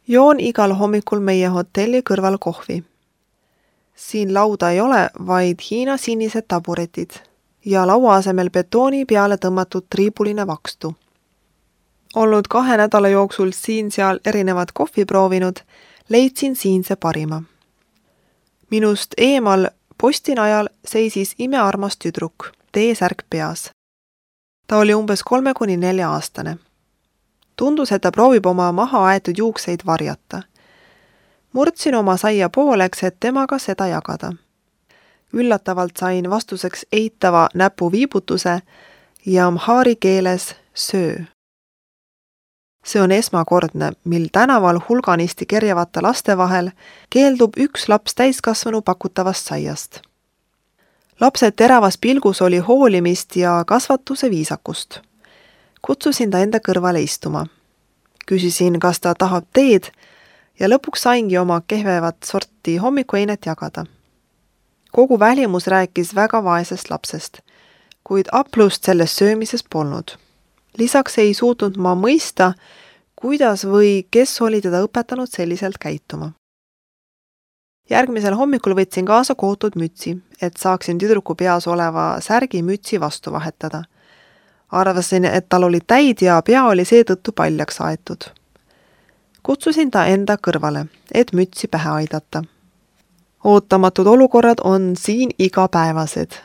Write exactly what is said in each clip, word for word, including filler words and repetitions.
Joon igal hommikul meie hotelli kõrval kohvi. Siin lauda ei ole, vaid Hiina sinised taburetid ja laua asemel betooni peale tõmmatud triibuline vakstu. Olnud kahe nädala jooksul siin-seal erinevad kohvi proovinud, leidsin siinse parima. Minust eemal postinajal seisis imearmas tüdruk, T-särk peas. Ta oli umbes kolme kuni nelja aastane. Tundus, et ta proovib oma maha aetud juukseid varjata. Murdsin oma saia pooleks, et temaga seda jagada. Üllatavalt sain vastuseks eitava näpu viibutuse ja amhaari keeles söö. See on esmakordne, mil tänaval hulganisti kerjavate laste vahel keeldub üks laps täiskasvanu pakutavast saiast. Lapse teravas pilgus oli hoolimist ja kasvatuse viisakust. Kutsusin ta enda kõrvale istuma. Küsisin, kas ta tahab teed ja lõpuks saingi oma kehvevat sorti hommikueinet jagada. Kogu välimus rääkis väga vaesest lapsest, kuid aplust selles söömises polnud. Lisaks ei suutnud ma mõista, kuidas või kes oli teda õpetanud selliselt käituma. Järgmisel hommikul võtsin kaasa kootud mütsi, et saaksin tüdruku peas oleva särgi mütsi vastu vahetada. Arvasin, et tal oli täid ja pea oli seetõttu paljaks aetud. Kutsusin ta enda kõrvale, et mütsi pähe aidata. Ootamatud olukorrad on siin igapäevased.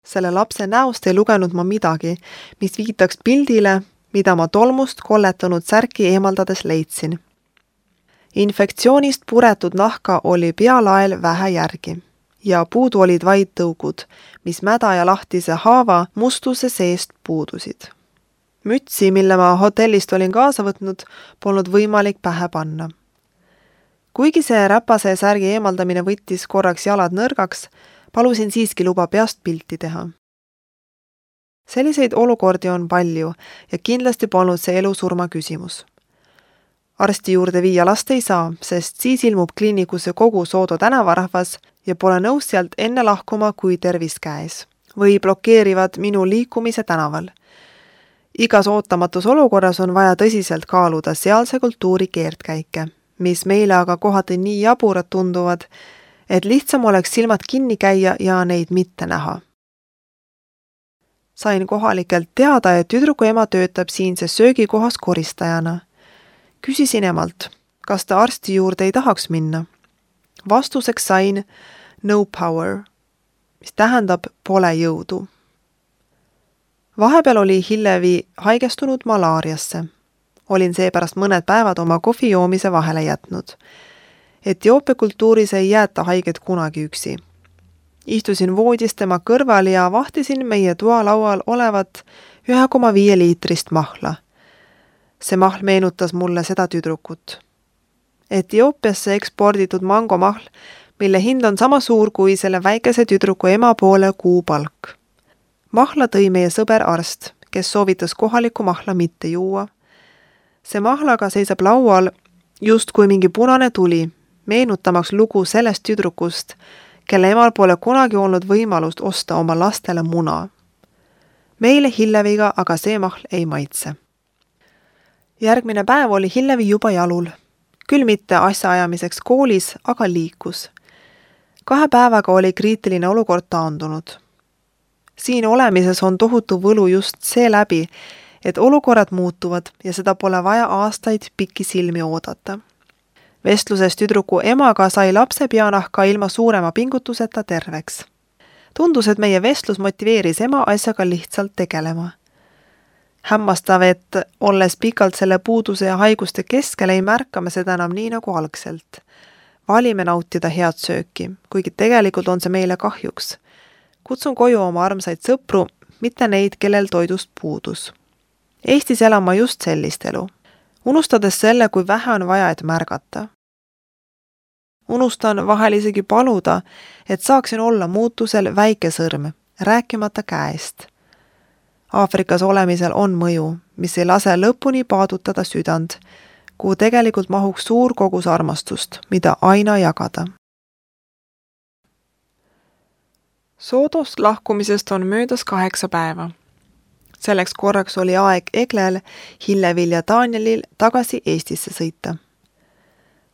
Selle lapse näost ei lugenud ma midagi, mis viitaks pildile, mida ma tolmust kolletanud särki eemaldades leidsin. Infektsioonist puretud nahka oli pealael vähe järgi ja puudu olid vaid tõugud, mis mäda ja lahtise haava mustuse seest puudusid. Mütsi, mille ma hotellist olin kaasa võtnud, polnud võimalik pähe panna. Kuigi see räpase särgi eemaldamine võttis korraks jalad nõrgaks, palusin siiski luba peast pilti teha. Selliseid olukordi on palju ja kindlasti polnud see elu-surma küsimus. Arsti juurde viia last ei saa, sest siis ilmub kliinikusse kogu Soodo tänavarahvas ja pole nõus sealt enne lahkuma kui tervis käes või blokeerivad minu liikumise tänaval. Igas ootamatus olukorras on vaja tõsiselt kaaluda sealse kultuuri keerdkäike, mis meile aga kohati nii jaburad tunduvad, et lihtsam oleks silmad kinni käia ja neid mitte näha. Sain kohalikelt teada, et tüdruku ema töötab siinses söögikohas koristajana. Küsisin emalt, kas ta arsti juurde ei tahaks minna. Vastuseks sain no power, mis tähendab pole jõudu. Vahepeal oli Hillevi haigestunud malaariasse. Olin seepärast mõned päevad oma kohvi joomise vahele jätnud. Etioopia kultuuris ei jäeta haiget kunagi üksi. Istusin voodis tema kõrval ja vahtisin meie toalaual olevat ühe koma viie liitrist mahla. See mahl meenutas mulle seda tüdrukut. Etioopiasse eksporditud mangomahl, mille hind on sama suur kui selle väikese tüdruku ema poole kuupalk. Mahla tõi meie sõber arst, kes soovitas kohalikku mahla mitte juua. See mahlaga seisab laual just kui mingi punane tuli, meenutamaks lugu sellest tüdrukust, kelle emal pole kunagi olnud võimalust osta oma lastele muna. Meile Hilleviga aga see mahl ei maitse. Järgmine päev oli Hillevi juba jalul. Küll mitte asjaajamiseks koolis, aga liikus. Kahe päevaga oli kriitiline olukord taandunud. Siin olemises on tohutu võlu just see läbi, et olukorrad muutuvad ja seda pole vaja aastaid pikki silmi oodata. Vestluses tüdruku emaga sai lapse peanahka ilma suurema pingutuseta terveks. Tundus, et meie vestlus motiveeris ema asjaga lihtsalt tegelema. Hämmastav, et olles pikalt selle puuduse ja haiguste keskel ei märkame seda enam nii nagu algselt. Valime nautida head sööki, kuigi tegelikult on see meile kahjuks. Kutsun koju oma armsaid sõpru, mitte neid, kellel toidust puudus. Eestis elan ma just sellist elu. Unustades selle, kui vähe on vaja, et märgata. Unustan vahel isegi paluda, et saaksin olla muutusel väike sõrm, rääkimata käest. Aafrikas olemisel on mõju, mis ei lase lõpuni paadutada südant, kuhu tegelikult mahuks suur kogus armastust, mida aina jagada. Soodost lahkumisest on möödas kaheksa päeva. Selleks korraks oli aeg Eglel, Hillevil ja Danielil tagasi Eestisse sõita.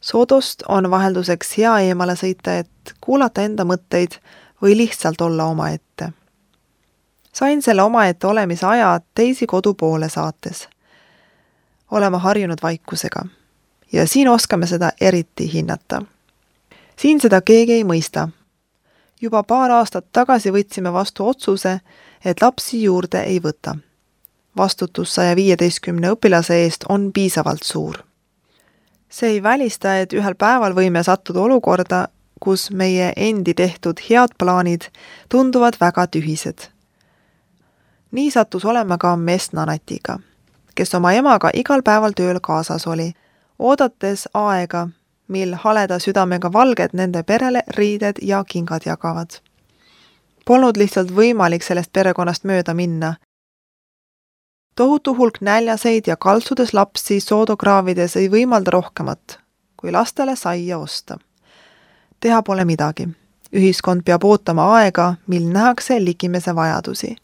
Soodost on vahelduseks hea eemale sõita, et kuulata enda mõtteid või lihtsalt olla omaette. Sain selle omaette olemise aja teisi kodu poole saates. Oleme harjunud vaikusega ja siin oskame seda eriti hinnata. Siin seda keegi ei mõista. Juba paar aastat tagasi võtsime vastu otsuse, et lapsi juurde ei võta. Vastutus saja viieteistkümne õpilase eest on piisavalt suur. See ei välista, et ühel päeval võime sattuda olukorda, kus meie endi tehtud head plaanid tunduvad väga tühised. Nii sattus olema ka Messnanetiga, kes oma emaga igal päeval tööl kaasas oli, oodates aega, mil haleda südamega valged nende perele riided ja kingad jagavad. Polnud lihtsalt võimalik sellest perekonnast mööda minna. Tohutu hulk näljaseid ja kaltsudes lapsi soodokraavides ei võimalda rohkemat, kui lastele saia osta. Teha pole midagi. Ühiskond peab ootama aega, mil nähakse ligimese vajadusi.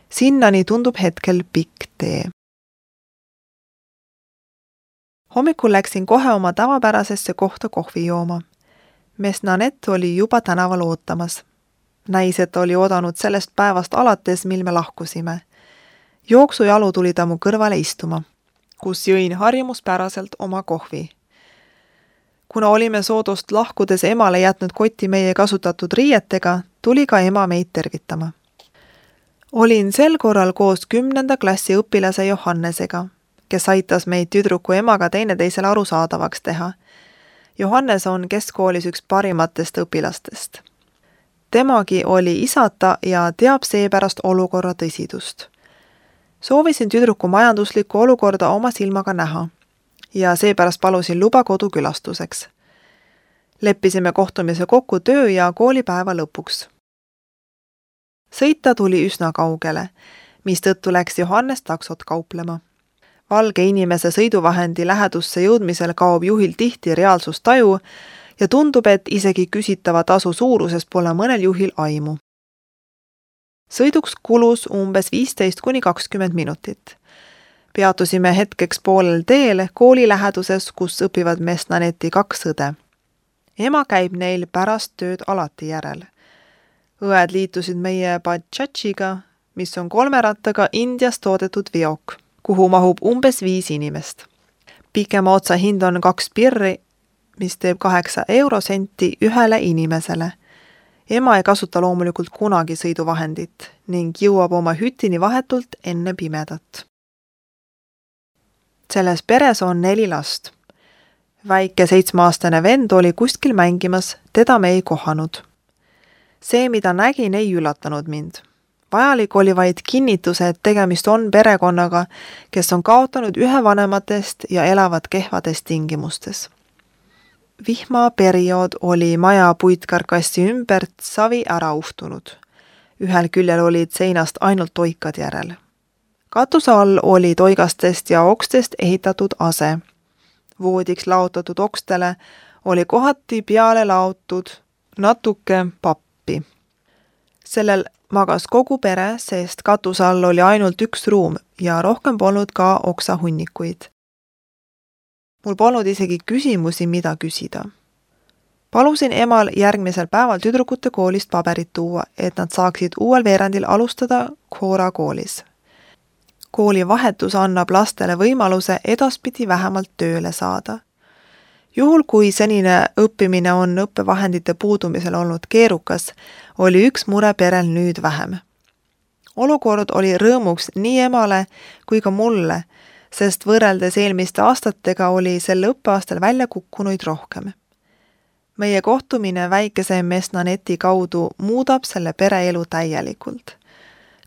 Sinnani tundub hetkel pikk tee. Hommikul läksin kohe oma tavapärasesse kohta kohvi jooma. Messnanet oli juba tänaval ootamas. Näis, et oli oodanud sellest päevast alates, mil me lahkusime. Jooksujalu tuli ta mu kõrvale istuma, kus jõin harjumuspäraselt oma kohvi. Kuna olime Soodost lahkudes emale jätnud kotti meie kasutatud riietega, tuli ka ema meid tervitama. Olin sel korral koos kümnenda klassi õpilase Johannesega, kes aitas meid tüdruku emaga teineteisele arusaadavaks teha. Johannes on keskkoolis üks parimatest õpilastest. Temagi oli isata ja teab seepärast olukorra tõsidust. Soovisin tüdruku majanduslikku olukorda oma silmaga näha ja seepärast palusin luba kodukülastuseks. Leppisime kohtumise kokku töö ja koolipäeva lõpuks. Sõita tuli üsna kaugele, mistõttu läks Johannes taksot kauplema. Valge inimese sõiduvahendi lähedusse jõudmisel kaob juhil tihti reaalsustaju ja tundub, et isegi küsitava tasu suurusest pole mõnel juhil aimu. Sõiduks kulus umbes viisteist kuni kakskümmend minutit. Peatusime hetkeks poolel teel kooli läheduses, kus õpivad Messnaneti kaks õde. Ema käib neil pärast tööd alati järel. Õed liitusid meie Bajadžiga, mis on kolme rattaga Indias toodetud veok, kuhu mahub umbes viis inimest. Pikema otsa hind on kaks pirri, mis teeb kaheksa eurosenti ühele inimesele. Ema ei kasuta loomulikult kunagi sõiduvahendit ning jõuab oma hütini vahetult enne pimedat. Selles peres on neli last. Väike seitsmeaastane vend oli kuskil mängimas, teda me ei kohanud. See, mida nägin, ei üllatanud mind. Vajalik oli vaid kinnituse, et tegemist on perekonnaga, kes on kaotanud ühe vanematest ja elavad kehvades tingimustes. Vihmaperiood oli maja puitkarkassi ümbert savi ära uhtunud. Ühel küljel olid seinast ainult toikad järel. Katuse all oli toigastest ja okstest ehitatud ase. Voodiks laotatud okstele oli kohati peale laotud natuke pappi. Sellel magas kogu pere, sest katuse all oli ainult üks ruum ja rohkem polnud ka oksahunnikuid. Mul polnud isegi küsimusi, mida küsida. Palusin emal järgmisel päeval tüdrukute koolist paberit tuua, et nad saaksid uuel veerandil alustada Khora koolis. Kooli vahetus annab lastele võimaluse edaspidi vähemalt tööle saada. Juhul, kui senine õppimine on õppevahendite puudumisel olnud keerukas, oli üks mure perel nüüd vähem. Olukord oli rõõmuks nii emale kui ka mulle, sest võrreldes eelmiste aastatega oli sel õppeaastal välja kukkunuid rohkem. Meie kohtumine väikese Messnaneti kaudu muudab selle pere elu täielikult.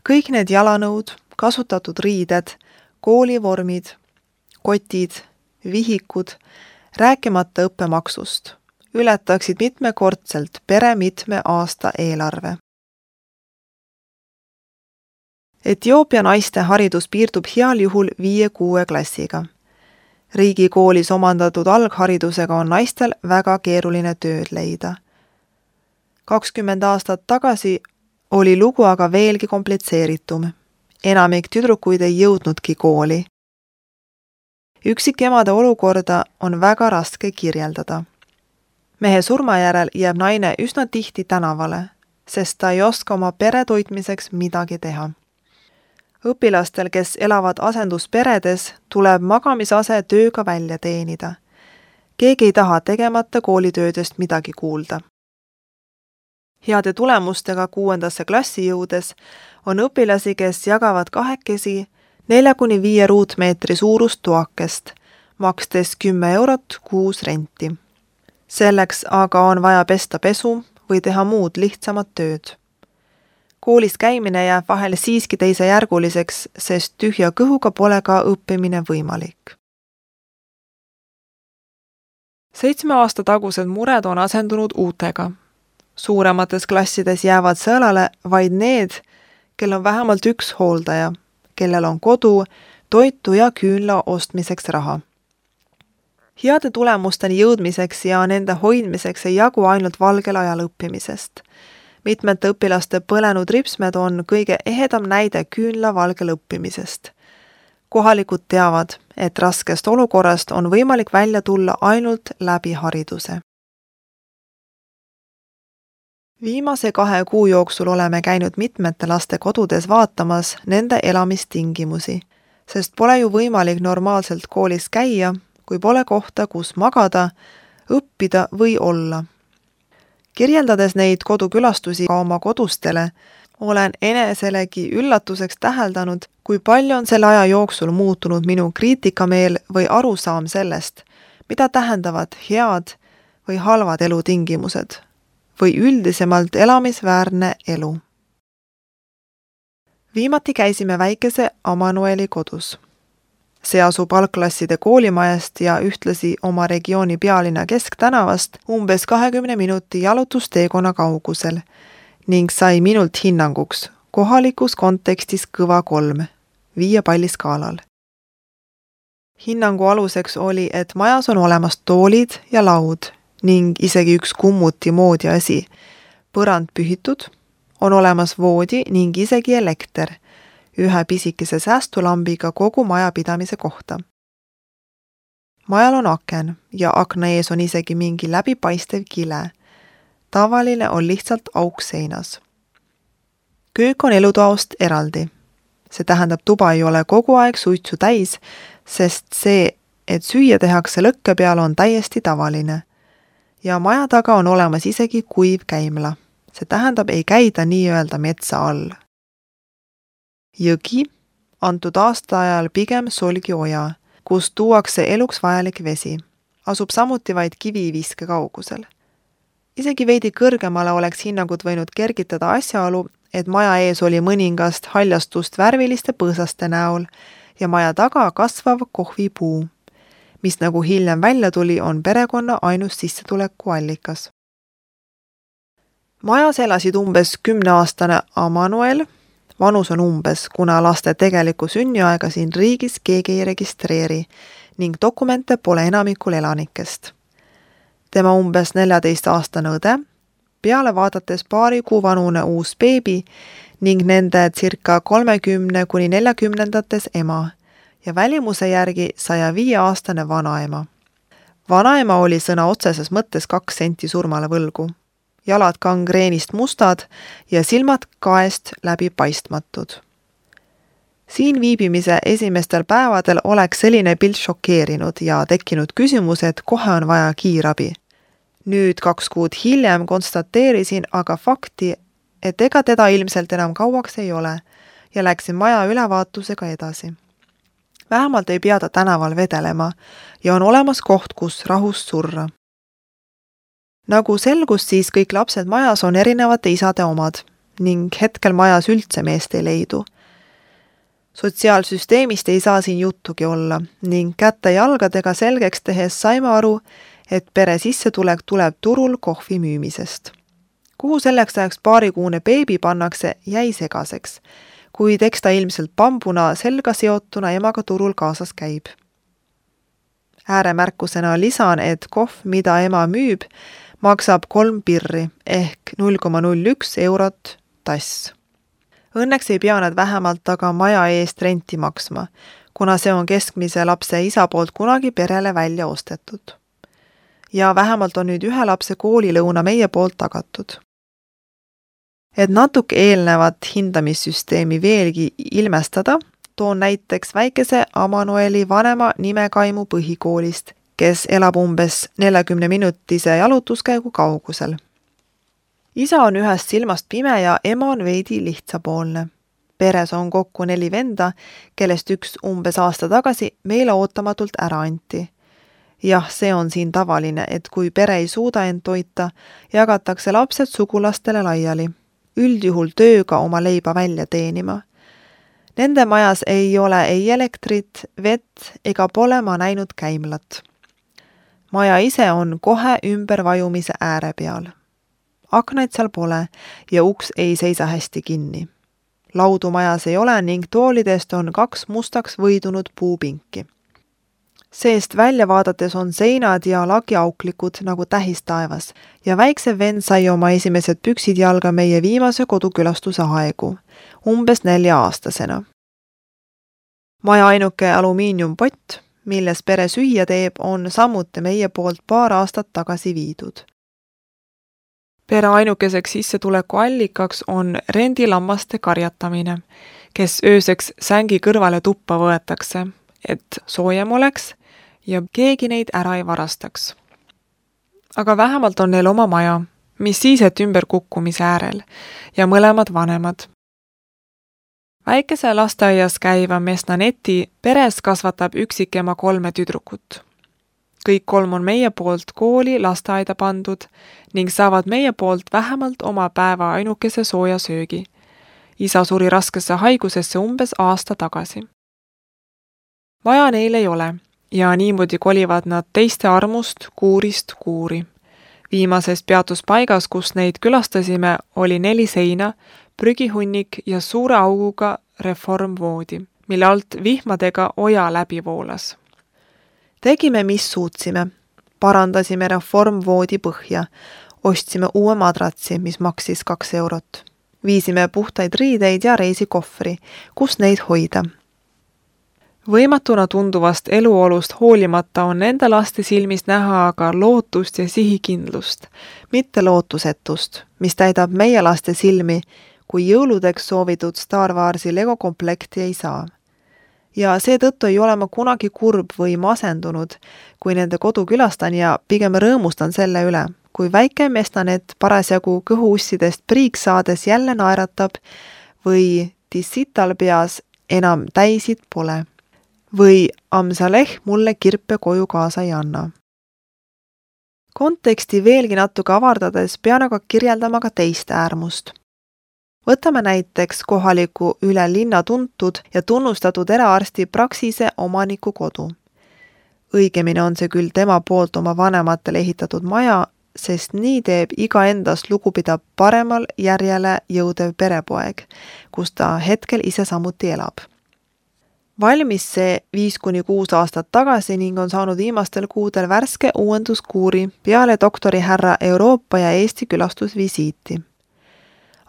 Kõik need jalanõud, kasutatud riided, koolivormid, kotid, vihikud, rääkimata õppemaksust, ületaksid mitmekordselt pere mitme aasta eelarve. Etioopia naiste haridus piirdub heal juhul viie-kuue klassiga. Riigikoolis omandatud algharidusega on naistel väga keeruline tööd leida. kakskümmend aastat tagasi oli lugu aga veelgi komplitseeritum. Enamik tüdrukuid ei jõudnudki kooli. Üksikemade olukorda on väga raske kirjeldada. Mehe surma järel jääb naine üsna tihti tänavale, sest ta ei oska oma pere toitmiseks midagi teha. Õpilastel, kes elavad asendusperedes, tuleb magamisase tööga välja teenida. Keegi ei taha tegemata koolitöödest midagi kuulda. Heade tulemustega kuuendasse klassi jõudes on õpilasi, kes jagavad kahekesi nelja kuni viie ruutmeetri suurust toakest, makstes kümme eurot kuus renti. Selleks aga on vaja pesta pesu või teha muud lihtsamad tööd. Koolis käimine jääb vahel siiski teisejärguliseks, sest tühja kõhuga pole ka õppimine võimalik. Seitsme aasta tagused mured on asendunud uutega. Suuremates klassides jäävad sõelale vaid need, kel on vähemalt üks hooldaja, kellel on kodu, toitu ja küünla ostmiseks raha. Heade tulemusteni jõudmiseks ja nende hoidmiseks ei jagu ainult valgel ajal õppimisest. Mitmete õpilaste põlenud ripsmed on kõige ehedam näide küünla valgel õppimisest. Kohalikud teavad, et raskest olukorrast on võimalik välja tulla ainult läbi hariduse. Viimase kahe kuu jooksul oleme käinud mitmete laste kodudes vaatamas nende elamistingimusi, sest pole ju võimalik normaalselt koolis käia, kui pole kohta, kus magada, õppida või olla. Kirjeldades neid kodukülastusi ka oma kodustele, olen eneselegi üllatuseks täheldanud, kui palju on selle aja jooksul muutunud minu kriitikameel või arusaam sellest, mida tähendavad head või halvad elutingimused või üldisemalt elamisväärne elu. Viimati käisime väikese Amanueli kodus. See asub algklasside koolimajast ja ühtlasi oma regiooni pealinna kesktänavast umbes kahekümne minuti jalutusteekonna kaugusel ning sai minult hinnanguks kohalikus kontekstis kõva kolm, viie palli skaalal. Hinnangu aluseks oli, et majas on olemas toolid ja laud ning isegi üks kummuti moodi asi, põrand pühitud, on olemas voodi ning isegi elekter, ühe pisikese säästulambiga kogu majapidamise kohta. Majal on aken ja akna ees on isegi mingi läbipaistev kile. Tavaline on lihtsalt auk seinas. Köök on elutoast eraldi. See tähendab, tuba ei ole kogu aeg suitsu täis, sest see, et süüa tehakse lõkke peal, on täiesti tavaline. Ja maja taga on olemas isegi kuiv käimla. See tähendab, ei käida nii-öelda metsa all. Jõgi, antud aasta ajal pigem Solgi oja, kus tuuakse eluks vajalik vesi, asub samuti vaid kiviviske kaugusel. Isegi veidi kõrgemale oleks hinnangud võinud kergitada asjaolu, et maja ees oli mõningast haljastust värviliste põõsaste näol ja maja taga kasvav kohvipuu, mis nagu hiljem välja tuli, on perekonna ainus sissetuleku allikas. Majas elasid umbes kümneaastane Amanuel, vanus on umbes, kuna laste tegelikku sünniaega siin riigis keegi ei registreeri ning dokumente pole enamikul elanikest. Tema umbes neljateist-aastane õde, peale vaadates paari kuu vanune uus beebi ning nende circa kolmekümne kuni neljakümnendates ema ja välimuse järgi saja viie aastane vanaema. Vanaema oli sõna otseses mõttes kaks senti surmale võlgu. Jalad gangreenist mustad ja silmad kaest läbi paistmatud. Siin viibimise esimestel päevadel oleks selline pilt šokeerinud ja tekkinud küsimus, et kohe on vaja kiirabi. Nüüd kaks kuud hiljem konstateerisin aga fakti, et ega teda ilmselt enam kauaks ei ole ja läksin maja ülevaatusega edasi. Vähemalt ei pea ta tänaval vedelema ja on olemas koht, kus rahus surra. Nagu selgus, siis kõik lapsed majas on erinevate isade omad ning hetkel majas üldse meest ei leidu. Sotsiaalsüsteemist ei saa siin juttugi olla ning kätte jalgadega selgeks tehes saime aru, et pere sissetulek tuleb turul kohvi müümisest. Kuhu selleks ajaks paarikuune beebi pannakse, jäi segaseks, kuid eks ta ilmselt bambuna selga seotuna emaga turul kaasas käib. Ääremärkusena lisan, et kohv, mida ema müüb, maksab kolm pirri ehk null koma null üks eurot tass. Õnneks ei pea nad vähemalt aga maja eest renti maksma, kuna see on keskmise lapse isa poolt kunagi perele välja ostetud. Ja vähemalt on nüüd ühe lapse koolilõuna meie poolt tagatud. Et natuke eelnevat hindamissüsteemi veelgi ilmestada, toon näiteks väikese Amanueli vanema Nimekaimu põhikoolist, kes elab umbes neljakümne minutise jalutuskäigu kaugusel. Isa on ühest silmast pime ja ema on veidi lihtsapoolne. Peres on kokku neli venda, kellest üks umbes aasta tagasi meile ootamatult ära anti. Jah, see on siin tavaline, et kui pere ei suuda end toita, jagatakse lapsed sugulastele laiali. Üldjuhul tööga oma leiba välja teenima. Nende majas ei ole ei elektrit, vett ega pole ma näinud käimlat. Maja ise on kohe ümbervajumise ääre peal. Aknaid seal pole ja uks ei seisa hästi kinni. Laudu majas ei ole ning toolidest on kaks mustaks võidunud puupinki. Seest välja vaadates on seinad ja lagiauklikud nagu tähis taevas ja väikse vend sai oma esimesed püksid jalga meie viimase kodukülastuse aegu, umbes nelja aastasena. Maja ainuke alumiiniumpott, milles pere süüa teeb, on samuti meie poolt paar aastat tagasi viidud. Pere ainukeseks sissetuleku allikaks on rendilammaste karjatamine, kes ööseks sängi kõrvale tuppa võetakse, et soojem oleks ja keegi neid ära ei varastaks. Aga vähemalt on neil oma maja, mis siis, et ümberkukkumise äärel ja mõlemad vanemad. Väikese lasteaias käiva Mesnaneti peres kasvatab üksikema kolme tüdrukut. Kõik kolm on meie poolt kooli lasteaida pandud ning saavad meie poolt vähemalt oma päeva ainukese sooja söögi. Isa suri raskesse haigusesse umbes aasta tagasi. Vaja neil ei ole ja niimoodi kolivad nad teiste armust kuurist kuuri. Viimases peatuspaigas, kus neid külastasime, oli neli seina, prügihunnik ja suure auguga reformvoodi, mille alt vihmadega oja läbi voolas. Tegime, mis suutsime. Parandasime reformvoodi põhja. Ostsime uue madratsi, mis maksis kaks eurot. Viisime puhtaid riideid ja reisikohvri, kus neid hoida. Võimatuna tunduvast eluolust hoolimata on nende laste silmis näha aga lootust ja sihikindlust, mitte lootusetust, mis täidab meie laste silmi, kui jõuludeks soovitud Star Warsi Lego komplekti ei saa. Ja seetõttu ei ole ma kunagi kurb või masendunud, kui nende kodu külastan ja pigem rõõmustan selle üle, kui väike Mesnanet parasjagu kõhuussidest priiks saades jälle naeratab või dissital peas enam täisid pole. Või Amsaleh mulle kirpe koju kaasa ei anna. Konteksti veelgi natuke avardades pean aga kirjeldama ka teist äärmust. Võtame näiteks kohaliku üle linna tuntud ja tunnustatud eraarsti Praxise omaniku kodu. Õigemini on see küll tema poolt oma vanematele ehitatud maja, sest nii teeb iga endast lugupidav paremal järjele jõudev perepoeg, kus ta hetkel ise samuti elab. Valmis see viis kuni kuus aastat tagasi ning on saanud viimastel kuudel värske uuenduskuuri peale doktori härra Euroopa ja Eesti külastusvisiiti.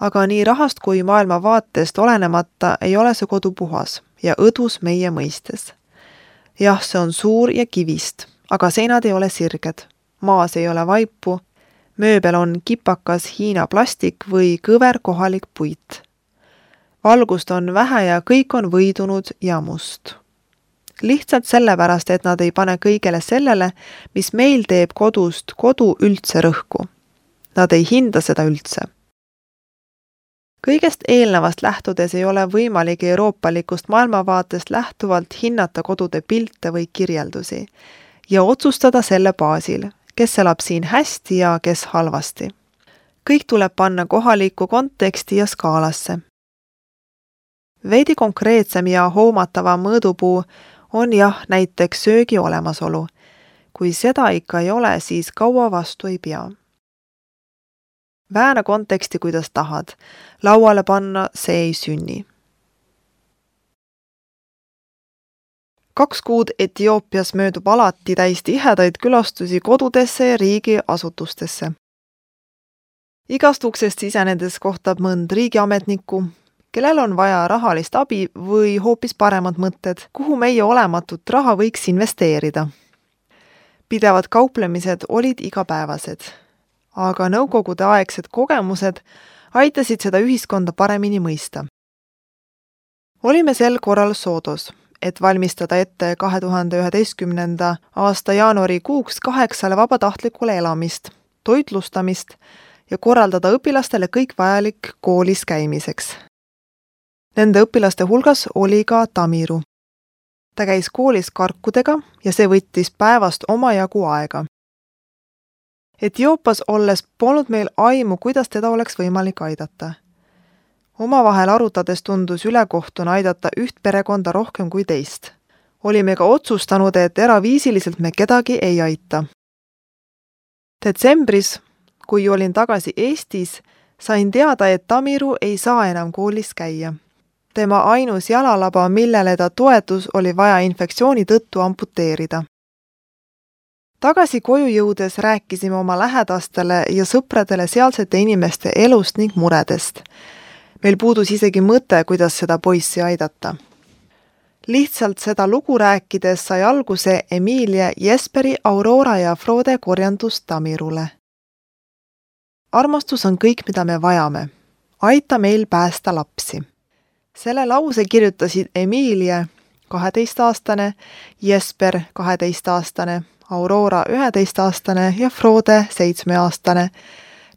Aga nii rahast kui maailma vaatest olenemata ei ole see kodu puhas ja õdus meie mõistes. Jah, see on suur ja kivist, aga seinad ei ole sirged, maas ei ole vaipu, mööbel on kipakas Hiina plastik või kõver kohalik puit. Valgust on vähe ja kõik on võidunud ja must. Lihtsalt sellepärast, et nad ei pane kõigele sellele, mis meil teeb kodust kodu üldse rõhku. Nad ei hinda seda üldse. Kõigest eelnevast lähtudes ei ole võimalik euroopalikust maailmavaatest lähtuvalt hinnata kodude pilte või kirjeldusi ja otsustada selle baasil, kes elab siin hästi ja kes halvasti. Kõik tuleb panna kohalikku konteksti ja skaalasse. Veidi konkreetsem ja hoomatava mõõdupuu on jah näiteks söögi olemasolu. Kui seda ikka ei ole, siis kaua vastu ei pea. Vääna konteksti, kuidas tahad. Lauale panna see ei sünni. Kaks kuud Etioopias möödub alati täis tihedaid külastusi kodudesse ja riigi asutustesse. Igast uksest sisenedes kohtab mõnd riigiametnikku, kellel on vaja rahalist abi või hoopis paremad mõtted, kuhu meie olematut raha võiks investeerida. Pidevad kauplemised olid igapäevased, aga nõukogude aegsed kogemused aitasid seda ühiskonda paremini mõista. Olime sel korral Soodos, et valmistada ette kahe tuhande üheteistkümnenda aasta jaanuarikuuks kaheksale vabatahtlikule elamist, toitlustamist ja korraldada õpilastele kõik vajalik koolis käimiseks. Nende õpilaste hulgas oli ka Tamiru. Ta käis koolis karkudega ja see võttis päevast omajagu aega. Etioopias olles polnud meil aimu, kuidas teda oleks võimalik aidata. Omavahel arutades tundus ülekohtuna aidata üht perekonda rohkem kui teist. Olime ka otsustanud, et eraviisiliselt me kedagi ei aita. Detsembris, kui olin tagasi Eestis, sain teada, et Tamiru ei saa enam koolis käia. Tema ainus jalalaba, millele ta toetus, oli vaja infektsiooni tõttu amputeerida. Tagasi koju jõudes rääkisime oma lähedastele ja sõpradele sealsete inimeste elust ning muredest. Meil puudus isegi mõte, kuidas seda poissi aidata. Lihtsalt seda lugu rääkides sai alguse Emilia, Jesperi, Aurora ja Frode korjandus Tamirule. Armastus on kõik, mida me vajame. Aita meil päästa lapsi. Selle lause kirjutasid Emilia, kaheteistaastane, Jesper, kaheteistaastane, Aurora, üheteistaastane ja Frode, seitsmeaastane,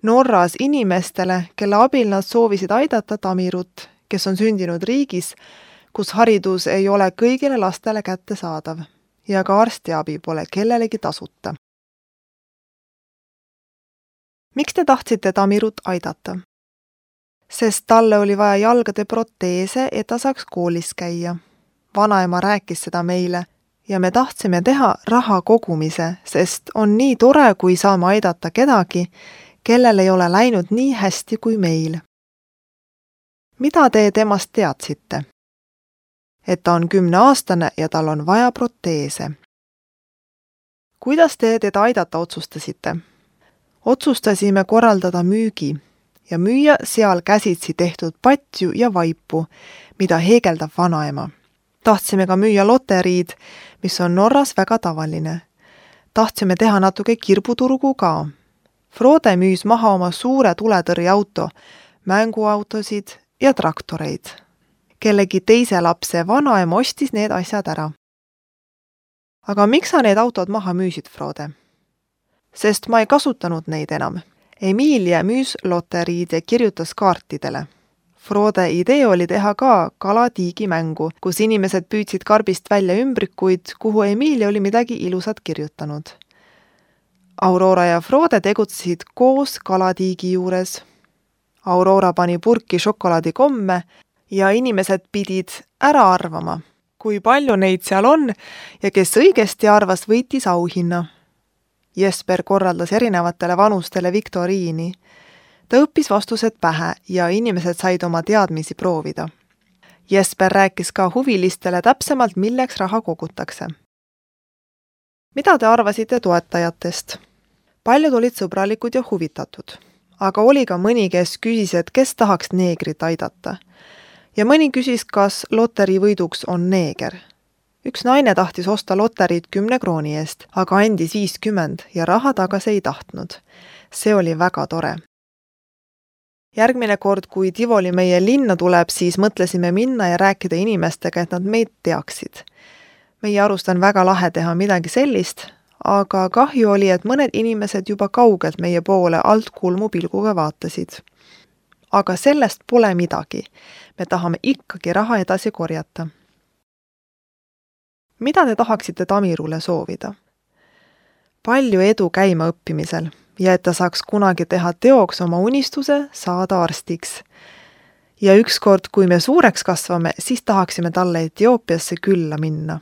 Norras inimestele, kelle abil nad soovisid aidata Tamirut, kes on sündinud riigis, kus haridus ei ole kõigile lastele kättesaadav ja ka arstiabi pole kellelegi tasuta. Miks te tahtsite Tamirut aidata? Sest talle oli vaja jalgade proteese, et ta saaks koolis käia. Vanaema rääkis seda meile ja me tahtsime teha raha kogumise, sest on nii tore, kui saame aidata kedagi, kellel ei ole läinud nii hästi kui meil. Mida te temast teadsite? Et ta on kümneaastane ja tal on vaja proteese. Kuidas te teda aidata otsustasite? Otsustasime korraldada müügi ja müüa seal käsitsi tehtud patju ja vaipu, mida heegeldab vanaema. Tahtsime ka müüa loteriid, mis on Norras väga tavaline. Tahtsime teha natuke kirbuturgu ka. Frode müüs maha oma suure tuletõrjeauto, mänguautosid ja traktoreid. Kellegi teise lapse vanaema ostis need asjad ära. Aga miks sa need autod maha müüsid, Frode? Sest ma ei kasutanud neid enam. Emilia müüs loteriid ja kirjutas kaartidele. Frode idee oli teha ka kalatiigi mängu, kus inimesed püüdsid karbist välja ümbrikuid, kuhu Emilia oli midagi ilusat kirjutanud. Aurora ja Frode tegutsesid koos kalatiigi juures. Aurora pani purki šokolaadikomme ja inimesed pidid ära arvama, kui palju neid seal on ja kes õigesti arvas, võitis auhinna. Jesper korraldas erinevatele vanustele viktoriini. Ta õppis vastused pähe ja inimesed said oma teadmisi proovida. Jesper rääkis ka huvilistele täpsemalt, milleks raha kogutakse. Mida te arvasite toetajatest? Paljud olid sõbralikud ja huvitatud, aga oli ka mõni, kes küsis, et kes tahaks neegrit aidata. Ja mõni küsis, kas loteri võiduks on neeger. Üks naine tahtis osta loteriid kümne krooni eest, aga andis viiskümmend ja raha tagasi ei tahtnud. See oli väga tore. Järgmine kord, kui Tivoli meie linna tuleb, siis mõtlesime minna ja rääkida inimestega, et nad meid teaksid. Meie arust on väga lahe teha midagi sellist, aga kahju oli, et mõned inimesed juba kaugelt meie poole alt kulmu pilguga vaatasid. Aga sellest pole midagi. Me tahame ikkagi raha edasi korjata. Mida te tahaksite Tamirule soovida? Palju edu käima õppimisel ja et ta saaks kunagi teha teoks oma unistuse saada arstiks. Ja ükskord, kui me suureks kasvame, siis tahaksime talle Etioopiasse külla minna.